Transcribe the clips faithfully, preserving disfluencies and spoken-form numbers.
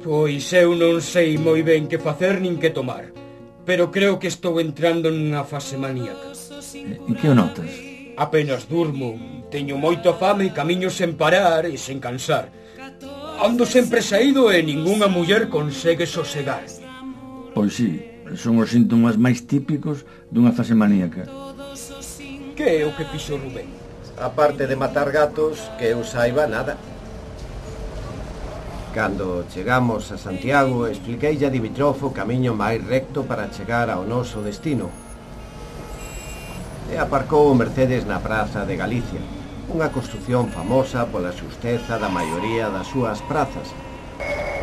Pois eu non sei moi ben que facer nin que tomar, pero creo que estou entrando nunha fase maníaca. En que o notas? Apenas durmo, teño moita fame e camiño sen parar e sen cansar. Ando sempre saído e ningunha muller consegue sosegar. Pois sí, son os síntomas máis típicos dunha fase maníaca. Que é o que fixo Rubén? Aparte de matar gatos, que eu saiba nada. Cando chegamos a Santiago, expliqueille a Dimitrov o camiño máis recto para chegar ao noso destino. E aparcou o Mercedes na Praza de Galicia, unha construción famosa pola xusteza da maioría das súas prazas.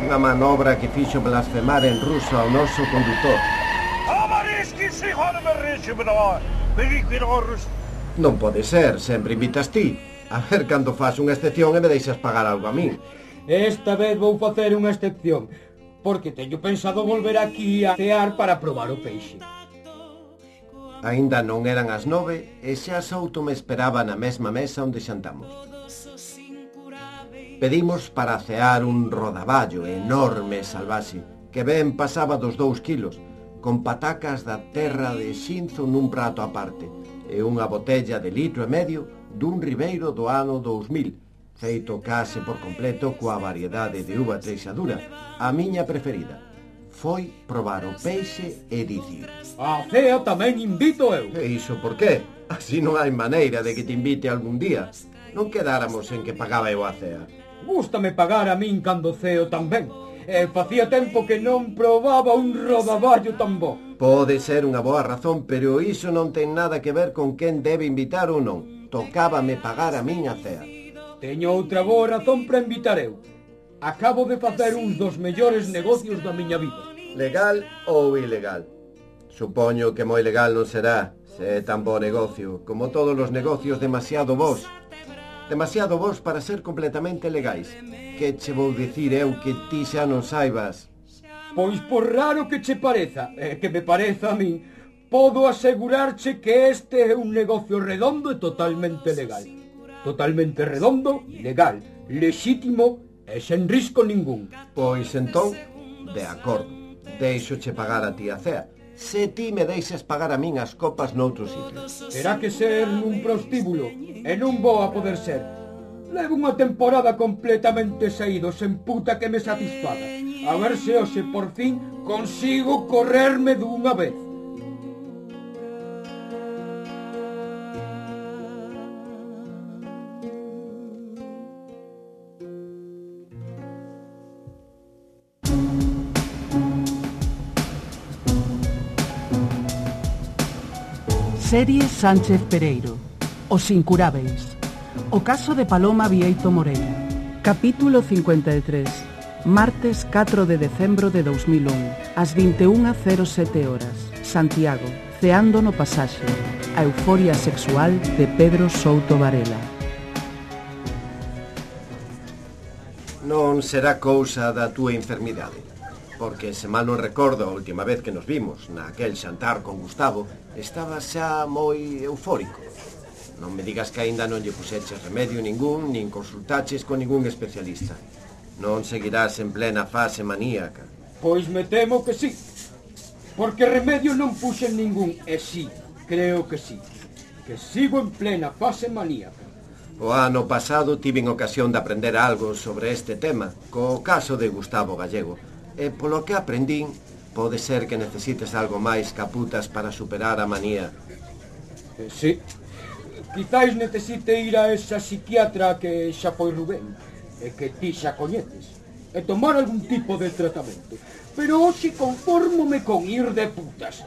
Unha manobra que fixo blasfemar en ruso ao noso condutor. Non pode ser, sempre invitas ti. A ver cando faz unha excepción e me deixas pagar algo a min. Esta vez vou facer unha excepción, porque teño pensado volver aquí a cear para probar o peixe. Aínda non eran as nove e xa Souto me esperaba na mesma mesa onde xantamos. Pedimos para cear un rodaballo enorme e salvaxe, que ben pasaba dos dous kilos, con patacas da terra de Xinzo nun prato aparte, e unha botella de litro e medio dun ribeiro do ano dous mil, feito case por completo coa variedade de uva treixadura, a miña preferida. Foi probar o peixe e dicir: A cea tamén invito eu. E iso por qué? Así non hai maneira de que te invite algún día. Non quedáramos en que pagaba eu a cea. Gústame pagar a min cando ceo tamén. E facía tempo que non probaba un rodaballo tan bo. Pode ser unha boa razón, pero iso non ten nada que ver con quen debe invitar ou non. Tocábame pagar a miña cea. Teño outra boa razón para invitar eu. Acabo de facer uns dos mellores negocios da miña vida. Legal ou ilegal? Supoño que moi legal non será, se é tan bo negocio, como todos os negocios demasiado bons. Demasiado bons para ser completamente legais. Que che vou dicir eu que ti xa non saibas? Pois por raro que che pareza, e que me pareza a min, podo asegurarche que este é un negocio redondo e totalmente legal. Totalmente redondo, legal, lexítimo e sen risco ningún. Pois entón, de acordo, deixoche pagar a ti a cea, se ti me deixas pagar a min as copas noutro sitio. Terá que ser nun prostíbulo, e non vou a poder ser. Levo unha temporada completamente saído, sen puta que me satisfaga. A ver se hoxe por fin consigo correrme dunha vez. Serie Sánchez Pereiro, Os Incurábeis. O caso de Paloma Bieito Moreira. Capítulo cincuenta e tres. Martes catro de decembro de dous mil un, ás vinte e unha cero sete horas. Santiago, ceando no pasaxe. A euforia sexual de Pedro Souto Varela. Non será cousa da túa enfermidade, porque se mal non recordo a última vez que nos vimos, naquel xantar con Gustavo, estaba xa moi eufórico. Non me digas que aínda non lle puxeches remedio ningún, nin consultaches con ningún especialista. Non seguirás en plena fase maníaca. Pois me temo que sí, porque remedio non puxen ningún, e sí, creo que sí, que sigo en plena fase maníaca. O ano pasado tiven ocasión de aprender algo sobre este tema, co caso de Gustavo Gallego, e polo que aprendín, pode ser que necesites algo máis caputas para superar a manía. Eh, sí, quizáis necesite ir a esa psiquiatra que xa foi Rubén, e que ti xa coñeces, e tomar algún tipo de tratamento. Pero hoxe confórmome con ir de putas.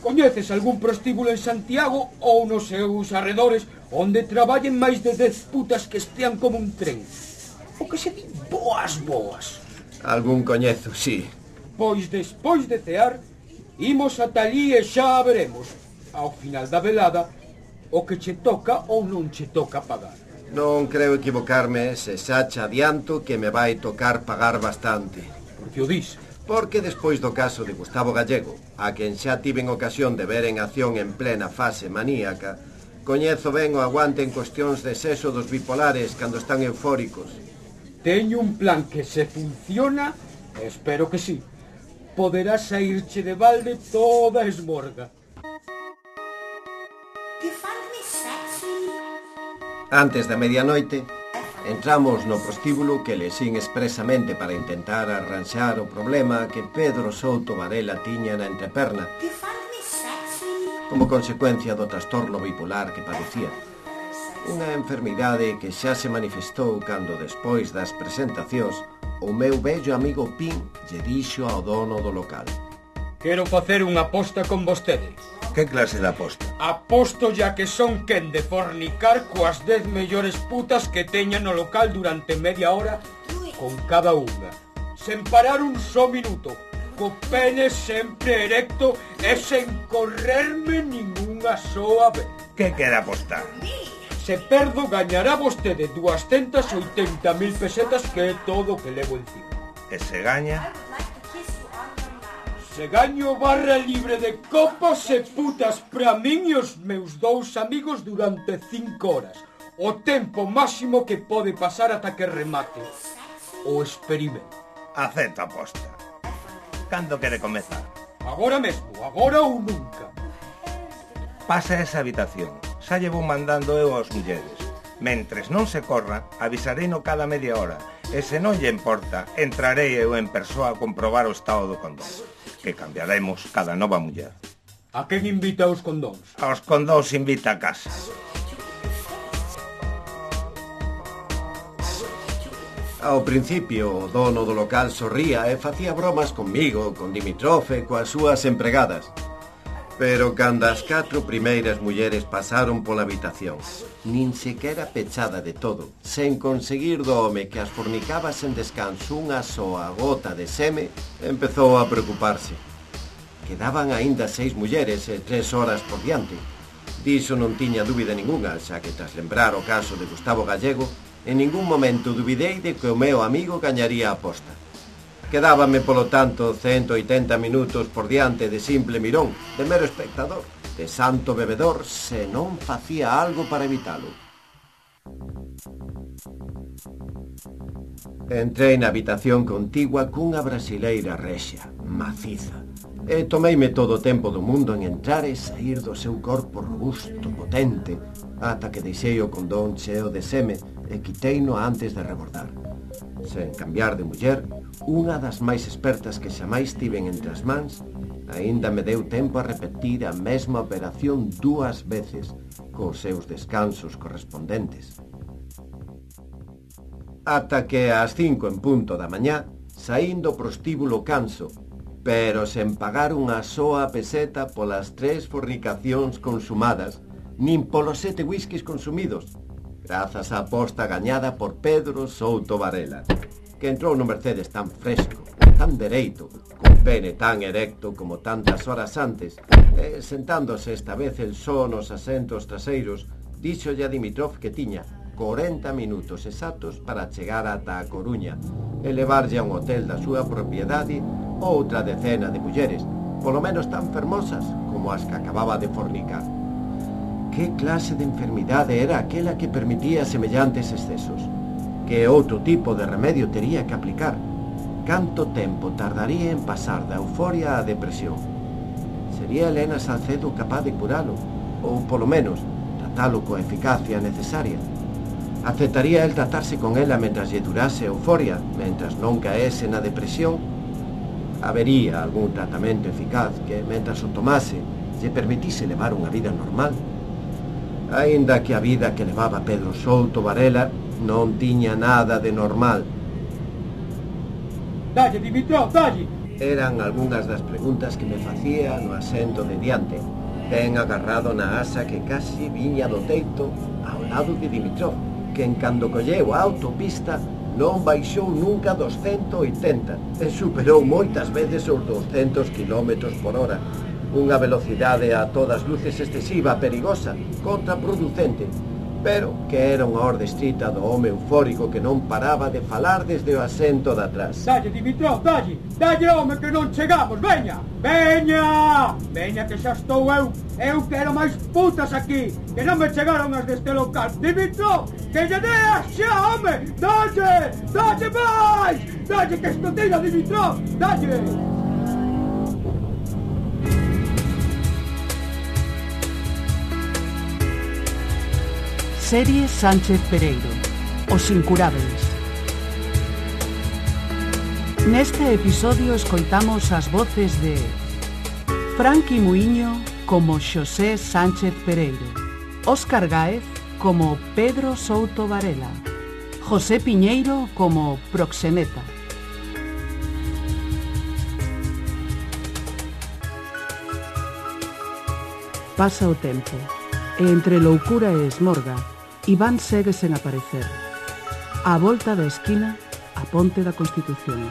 Coñeces algún prostíbulo en Santiago ou nos seus arredores onde traballen máis de dez putas que estean como un tren? O que se di boas boas. Algún coñezo, sí. Pois despois de cear, imos ata ali e xa veremos, ao final da velada, o que che toca ou non che toca pagar. Non creo equivocarme se xa che adianto que me vai tocar pagar bastante. Por que o dis? Porque despois do caso de Gustavo Gallego, a quen xa tiven ocasión de ver en acción en plena fase maníaca, coñezo ben o aguante en cuestións de sexo dos bipolares cando están eufóricos. Teño un plan que se funciona Espero que sí. Poderás saírche de balde toda esmorga. Antes da medianoite, entramos no prostíbulo que lexín expresamente para intentar arranxar o problema que Pedro Souto Varela tiña na entreperna como consecuencia do trastorno bipolar que padecía. Unha enfermidade que xa se manifestou cando, despois das presentacións, o meu vello amigo Pin lle dixo ao dono do local: Quero facer unha aposta con vostede. Que clase de aposta? Aposto ya que son quen de fornicar coas dez mellores putas que teña no local durante media hora con cada unha, sen parar un só minuto, co pene sempre erecto e sen correrme ningunha soa vez. Que quere apostar? Se perdo, gañará vostede doscientas oitenta mil pesetas, que é todo o que levo encima. E se gaña? Se gaño barra libre de copas e putas pra min e os meus dous amigos durante cinco horas. O tempo máximo que pode pasar ata que remate o experimento. Acepto a aposta. Cando quere comezar? Agora mesmo, agora ou nunca. Pasa a esa habitación. Xa llevo mandando eu aos mulleres. Mentres non se corra, avisarei no cada media hora. E se non lle importa, entrarei eu en persoa a comprobar o estado do condón, que cambiaremos cada nova muller. A quen invita aos condóns? Aos condóns invita a casa. Ao principio, o dono do local sorría e facía bromas comigo, con Dimitrov e coas súas empregadas. Pero cando as catro primeiras mulleres pasaron pola habitación, nin sequera pechada de todo, sen conseguir do home que as fornicaba sen descanso unha soa gota de seme, empezou a preocuparse. Quedaban aínda seis mulleres e tres horas por diante. Diso non tiña dúbida ningunha, xa que tras lembrar o caso de Gustavo Gallego, en ningún momento dubidei de que o meu amigo gañaría a aposta. Quedábame, polo tanto, ciento oitenta minutos por diante de simple mirón, de mero espectador, de santo bebedor, se non facía algo para evitalo. Entrei na habitación contigua cunha brasileira rexa, maciza, e tomeime todo o tempo do mundo en entrar e sair do seu corpo robusto, potente, ata que deixei o condón cheo de seme e quiteino antes de rebordar. Sen cambiar de muller, unha das máis expertas que xamais tiven entre as mans, aínda me deu tempo a repetir a mesma operación dúas veces, cos seus descansos correspondentes. Ata que ás cinco en punto da mañá, saíndo do prostíbulo canso, pero sen pagar unha soa peseta polas tres fornicacións consumadas, nin polos sete whiskies consumidos, grazas á aposta gañada por Pedro Souto Varela, que entrou no Mercedes tan fresco, tan dereito, con pene tan erecto como tantas horas antes, e sentándose esta vez el só nos asentos traseiros, díxolle a Dimitrov que tiña corenta minutos exactos para chegar ata a Coruña e levarlle a un hotel da súa propiedade outra decena de mulleres, polo menos tan fermosas como as que acababa de fornicar. Que clase de enfermidade era aquela que permitía semellantes excesos? Que outro tipo de remedio tería que aplicar? Canto tempo tardaría en pasar da euforia á depresión? Sería Elena Salcedo capaz de curalo? Ou, polo menos, tratalo coa eficacia necesaria? Aceptaría el tratarse con ela mentras lle durase a euforia, mentras non caese na depresión? Habería algún tratamento eficaz que, mentras o tomase, lle permitise levar unha vida normal? Aínda que a vida que levaba Pedro Souto Varela non tiña nada de normal. Dalle, Dimitrov, dalle! Eran algunhas das preguntas que me facía no asento de diante, ben agarrado na asa que casi viña do teito ao lado de Dimitrov, que en cando colleu a autopista non baixou nunca dos ciento oitenta e superou moitas veces os doscientos kilómetros por hora. Unha velocidade a todas luces excesiva, perigosa, contraproducente, pero que era unha orde estrita do home eufórico que non paraba de falar desde o asento de atrás. Dalle, Dimitrov, dalle, dalle, home, que non chegamos, veña, veña, veña que xa estou eu, eu quero máis putas aquí, que non me chegaron as deste local. Dimitrov, que lle deas xa, home, dalle, dalle máis, dalle que esto tira, Dimitrov, dalle. Serie Sánchez Pereiro, Os Incurábeis. Neste episodio escoitamos as voces de Franqui Muiño como Xosé Sánchez Pereiro, Óscar Gáez como Pedro Souto Varela, José Piñeiro como Proxeneta. Pasa o tempo, e entre loucura e esmorga, Iván segue sen aparecer. Á volta da esquina, a ponte da Constitución.